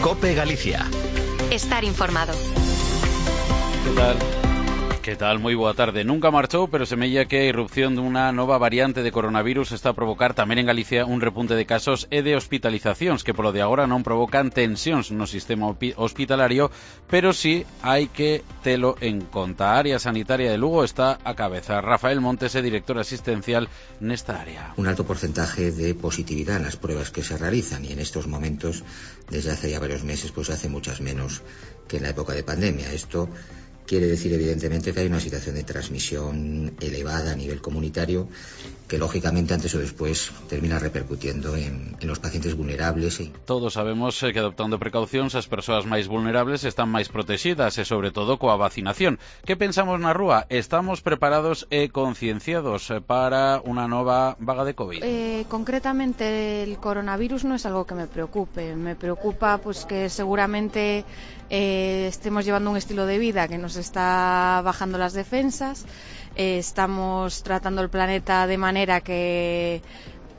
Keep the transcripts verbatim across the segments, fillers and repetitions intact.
COPE Galicia. Estar informado. ¿Qué tal? Que tal? Moi boa tarde. Nunca marchou, pero semella que a irrupción dunha nova variante de coronavirus está a provocar tamén en Galicia un repunte de casos e de hospitalizacións que polo de agora non provocan tensións no sistema hospitalario, pero sí hai que telo en conta. A área sanitaria de Lugo está a cabeza. Rafael Montes é director asistencial nesta área. Un alto porcentaje de positividad en las pruebas que se realizan y en estos momentos, desde hace ya varios meses, pues hace muchas menos que en la época de pandemia. Esto quiere decir, evidentemente, que hay una situación de transmisión elevada a nivel comunitario que, lógicamente, antes o después termina repercutiendo en, en los pacientes vulnerables. Y... Todos sabemos que, adoptando precaucións, as persoas máis vulnerables están máis protegidas e, sobre todo, coa vacinación. Que pensamos na rúa? Estamos preparados e concienciados para unha nova vaga de COVID? Eh, concretamente, el coronavirus no es algo que me preocupe. Me preocupa pues que seguramente eh, estemos llevando un estilo de vida que nos está bajando las defensas, eh, estamos tratando el planeta de manera que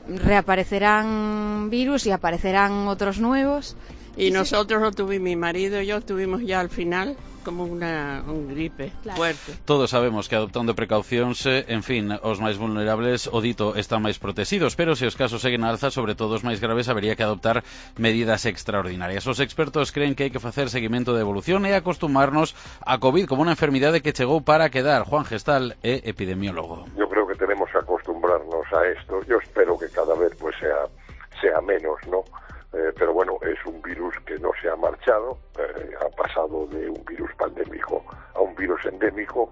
reaparecerán virus y aparecerán otros nuevos. Y nosotros lo tuvimos, mi marido y yo tuvimos ya al final como una un gripe claro. fuerte. Todos sabemos que adoptando precaucións, en fin, os máis vulnerables, o dito, están máis protegidos, pero se os casos seguen a alza, sobre todo os máis graves, habería que adoptar medidas extraordinarias. Os expertos creen que hai que facer seguimento de evolución e acostumarnos a COVID como unha enfermidade que chegou para quedar. Juan Gestal é epidemiólogo. Yo creo que tenemos que acostumbrarnos a esto. Yo espero que cada vez pues sea sea menos, ¿no? Eh, pero bueno, es un virus que no se ha marchado, eh, ha pasado de un virus pandémico a un virus endémico.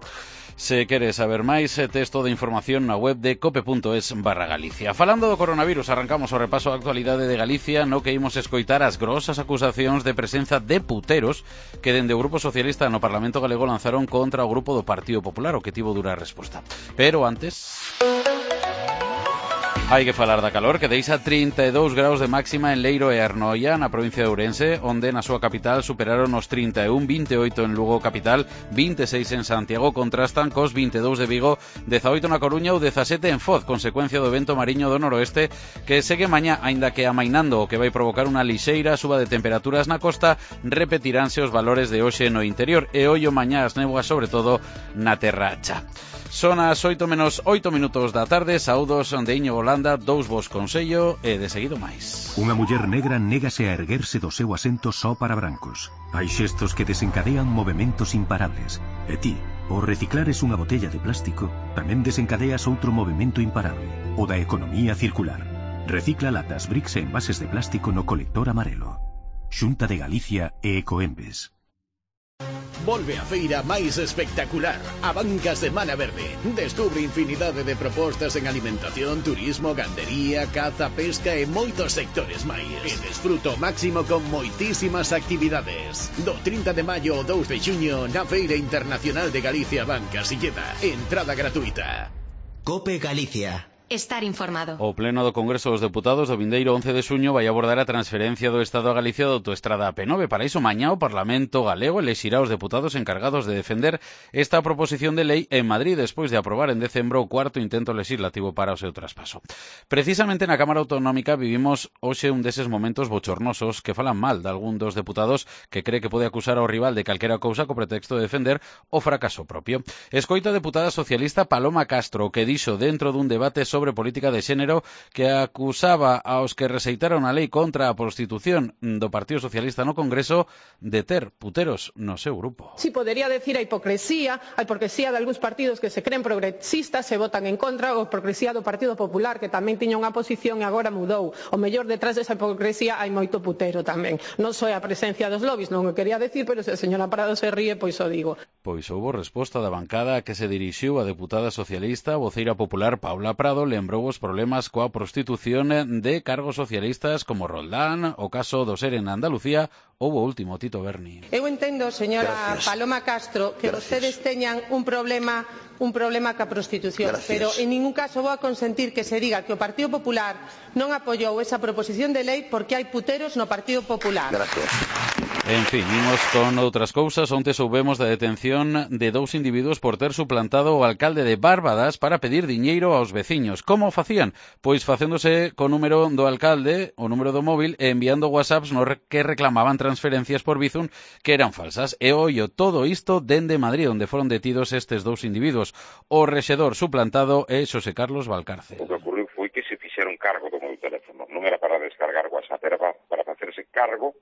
Se queres saber máis, texto de información na web de cope punto es barra Galicia. Falando do coronavirus, arrancamos o repaso da actualidade de Galicia, no que imos escoitar as grosas acusacións de presenza de puteros que dende o Grupo Socialista no Parlamento Galego lanzaron contra o Grupo do Partido Popular, o que tivo dura resposta. Pero antes... hai que falar da calor, que deixa trinta e dous graus de máxima en Leiro e Arnoia, na provincia de Ourense, onde na súa capital superaron os trinta e un, vinte e oito en Lugo capital, vinte e seis en Santiago, contrastan cos vinte e dous de Vigo, dezaoito na Coruña ou dezasete en Foz, consecuencia do vento mariño do noroeste, que segue mañá, aínda que amainando, o que vai provocar unha lixeira suba de temperaturas na costa, repetiránse os valores de hoxe no interior, e ollo mañá as néboas, sobre todo na terracha. Son as oito menos oito minutos da tarde, saúdos de Iñigo Landa, dous vos consello e de seguido máis. Unha muller negra négase a erguerse do seu asento só para brancos. Hai xestos que desencadean movementos imparables. E ti, ao reciclares unha botella de plástico, tamén desencadeas outro movemento imparable, o da economía circular. Recicla latas, bricks e envases de plástico no colector amarelo. Xunta de Galicia e Ecoembes. Volve a feira máis espectacular, a Banca Semana Verde. Descubre infinidade de propostas en alimentación, turismo, gandería, caza, pesca e moitos sectores máis. E desfruto máximo con moitísimas actividades. Do trinta de maio ao dous de xuño na Feira Internacional de Galicia Banca Silleda. Entrada gratuita. COPE Galicia. Estar informado. O Pleno do Congreso dos Deputados do vindeiro once de xuño vai abordar a transferencia do Estado a Galicia da autoestrada A P nove. Para iso, mañá o Parlamento galego elexirá os deputados encargados de defender esta proposición de lei en Madrid despois de aprobar en decembro o cuarto intento legislativo para o seu traspaso. Precisamente na Cámara Autonómica vivimos hoxe un deses momentos bochornosos que falan mal de algún dos deputados que cree que pode acusar ao rival de calquera cousa co pretexto de defender o fracaso propio. Escoita a deputada socialista Paloma Castro, que dixo dentro dun debate sobre política de xénero que acusaba aos que rexeitaron a lei contra a prostitución do Partido Socialista no Congreso de ter puteros no seu grupo. Si podería decir a hipocresía, a hipocresía de algúns partidos que se creen progresistas se votan en contra, ou a hipocresía do Partido Popular que tamén tiña unha posición e agora mudou. O mellor detrás desa hipocresía hai moito putero tamén. Non só a presencia dos lobbies, non o quería decir, pero se a señora Prado se ríe, pois o digo. Pois houbo resposta da bancada que se dirixiu a deputada socialista, voceira popular Paula Prado, lembrou os problemas coa prostitución de cargos socialistas como Roldán, o caso do Ser en Andalucía ou o último Tito Berni. Eu entendo, señora Gracias. Paloma Castro, que Gracias. Vostedes teñan un problema un problema ca prostitución, Gracias. Pero en ningún caso vou a consentir que se diga que o Partido Popular non apoiou esa proposición de lei porque hai puteros no Partido Popular. Gracias. En fin, imos con outras cousas. Onte soubemos da detención de dous individuos por ter suplantado o alcalde de Bárbadas para pedir diñeiro aos veciños. Como facían? Pois facéndose co número do alcalde, o número do móvil, e enviando whatsapps no que reclamaban transferencias por Bizum que eran falsas. E ollo todo isto dende Madrid, onde foron detidos estes dous individuos. O rexedor suplantado é Xosé Carlos Valcarce. O que ocurriu foi que se fixeron cargo do meu teléfono. Non era para descargar WhatsApp, era para facerse cargo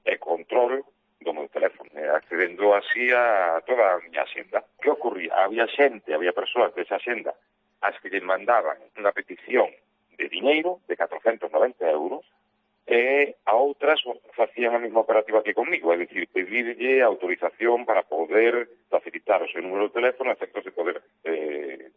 e control do meu teléfono, accedendo así a toda a miña xenda. Que ocurría? Había xente, había persoas desa xenda as que lle mandaban unha petición de diñeiro de catrocentos noventa euros e a outras facían a mesma operativa que comigo, é dicir, pedirlle autorización para poder facilitar o seu número de teléfono a efectos de poder eh,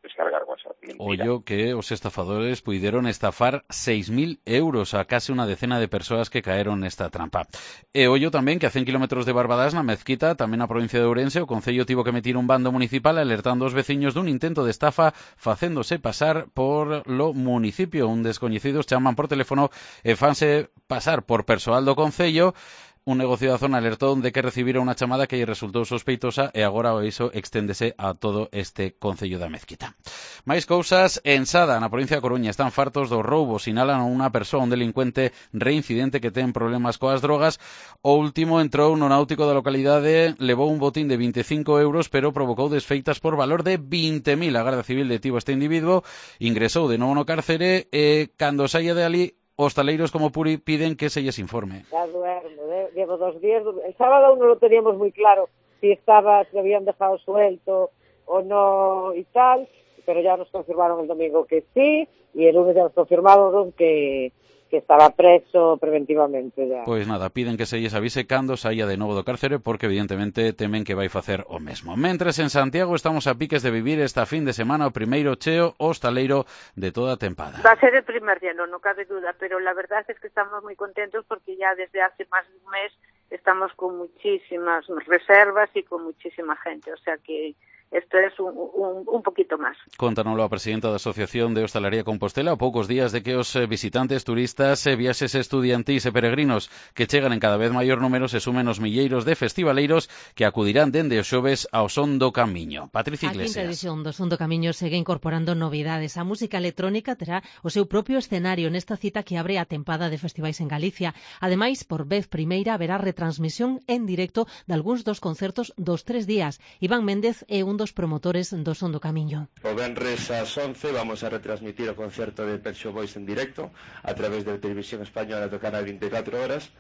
descargar WhatsApp. Mentira. Ollo que os estafadores puideron estafar seis mil euros a case unha decena de persoas que caeron nesta trampa. E ollo tamén que a cen kilómetros de Barbadas, na Mezquita, tamén na provincia de Ourense, o Concello tivo que emitir un bando municipal alertando os veciños dun intento de estafa facéndose pasar por lo municipio. Un descoñecidos chaman por teléfono e fanse pasar por persoal do Concello. Un negocio da zona alertou de que recibira unha chamada que lle resultou sospeitosa e agora o iso exténdese a todo este Concello da Mezquita. Mais cousas, en Sada, na provincia de Coruña, están fartos dos roubos. Sinalan a unha persoa, un delincuente reincidente que ten problemas coas drogas. O último entrou no náutico da localidade, levou un botín de vinte e cinco euros, pero provocou desfeitas por valor de vinte mil. A Garda Civil detivo este individuo, ingresou de novo no cárcere e, cando saia de ali, os taleiros como Puri piden que se lles informe. Ya duermo, ¿eh? Llevo dos días. El sábado aún no lo teníamos muy claro si estaba, si habían dejado suelto o no y tal, pero ya nos confirmaron el domingo que sí, y el lunes ya nos confirmaron que, que estaba preso preventivamente ya. Pois nada, piden que se lles avise cando saia de novo do cárcere, porque evidentemente temen que vai facer o mesmo. Mentres en Santiago estamos a piques de vivir esta fin de semana o primeiro cheo hostaleiro de toda a tempada. Va a ser el primer lleno, no cabe duda, pero la verdad es que estamos muy contentos porque ya desde hace más de un mes estamos con muchísimas reservas y con muchísima gente, o sea que esto es un, un, un poquito máis. Contanoslo a presidenta da Asociación de Hostalería Compostela a poucos días de que os visitantes, turistas, viaxes estudiantís e peregrinos que chegan en cada vez maior número se sumen os milleiros de festivaleiros que acudirán dende os xoves ao Son do Camiño. Patricia Iglesias. A quinta edición do Son do Camiño segue incorporando novidades. A música electrónica terá o seu propio escenario nesta cita que abre a tempada de festivais en Galicia. Ademais, por vez primeira haberá retransmisión en directo de algúns dos concertos dos tres días. Iván Méndez é un dos promotores do Son do Camiño. O venres ás once vamos a retransmitir o concerto de Pet Shop Boys en directo a través da Televisión Española do canal vinte e catro horas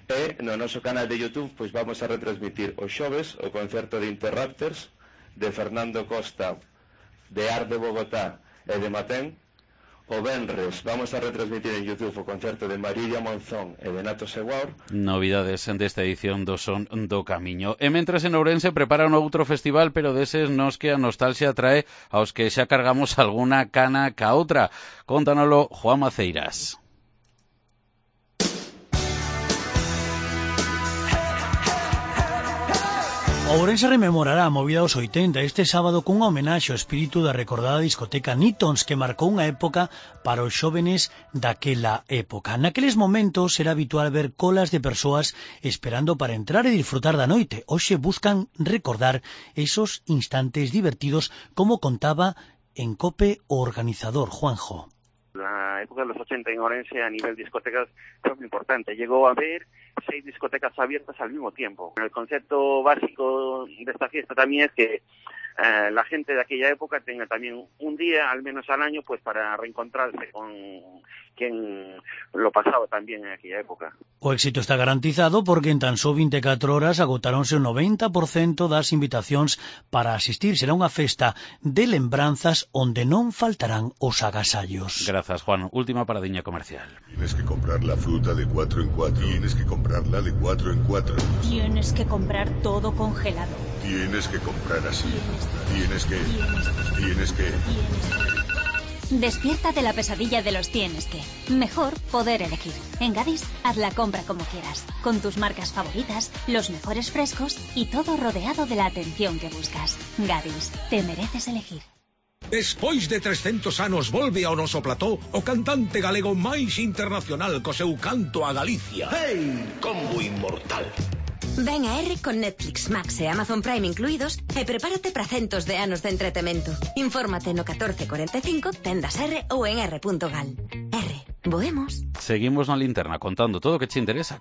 e no noso canal de YouTube pois vamos a retransmitir os xoves o concerto de Interrupters de Fernando Costa, de Art de Bogotá e de Matén. O venres vamos a retransmitir en YouTube o concerto de Marilia Monzón e de Nato Seguaur. Novidades desta edición do Son do Camiño. E mentres en Ourense preparan outro festival, pero deses nos que a nostalgia trae aos que xa cargamos alguna cana ca outra. Contánoslo Juan Maceiras. Ourense rememorará a movida dos oitenta este sábado cunha homenaxe ao espírito da recordada discoteca Nitons que marcou unha época para os xóvenes daquela época. Naqueles momentos era habitual ver colas de persoas esperando para entrar e disfrutar da noite. Hoxe buscan recordar esos instantes divertidos, como contaba en COPE o organizador Juanjo. La época de los ochenta en Orense a nivel discotecas fue muy importante. Llegó a haber seis discotecas abiertas al mismo tiempo. El concepto básico de esta fiesta también es que eh, la gente de aquella época tenga también un día, al menos al año, pues para reencontrarse con quien lo pasaba también en aquella época. O éxito está garantizado porque en tan só vinte e catro horas agotaronse o noventa por cento das invitacións para asistir. Será unha festa de lembranzas onde non faltarán os agasallos. Grazas, Juan. Última paradiña comercial. Tienes que comprar la fruta de cuatro en cuatro. Tienes que comprarla de cuatro en cuatro. Tienes que comprar todo congelado. Tienes que comprar así. Tienes que... Tienes que... Despierta de la pesadilla de los tienes que. Mejor poder elegir. En Gadis, haz la compra como quieras, con tus marcas favoritas, los mejores frescos y todo rodeado de la atención que buscas. Gadis, te mereces elegir. Despois de trescentos anos volve ao noso plató o cantante galego máis internacional co seu canto a Galicia. Hey, combo inmortal. Ven a R con Netflix, Max e Amazon Prime incluídos e prepárate para centos de anos de entretemento. Infórmate no catorce cuarenta e cinco, tendas R ou en r punto gal. R, voemos. Seguimos na linterna contando todo o que te interesa.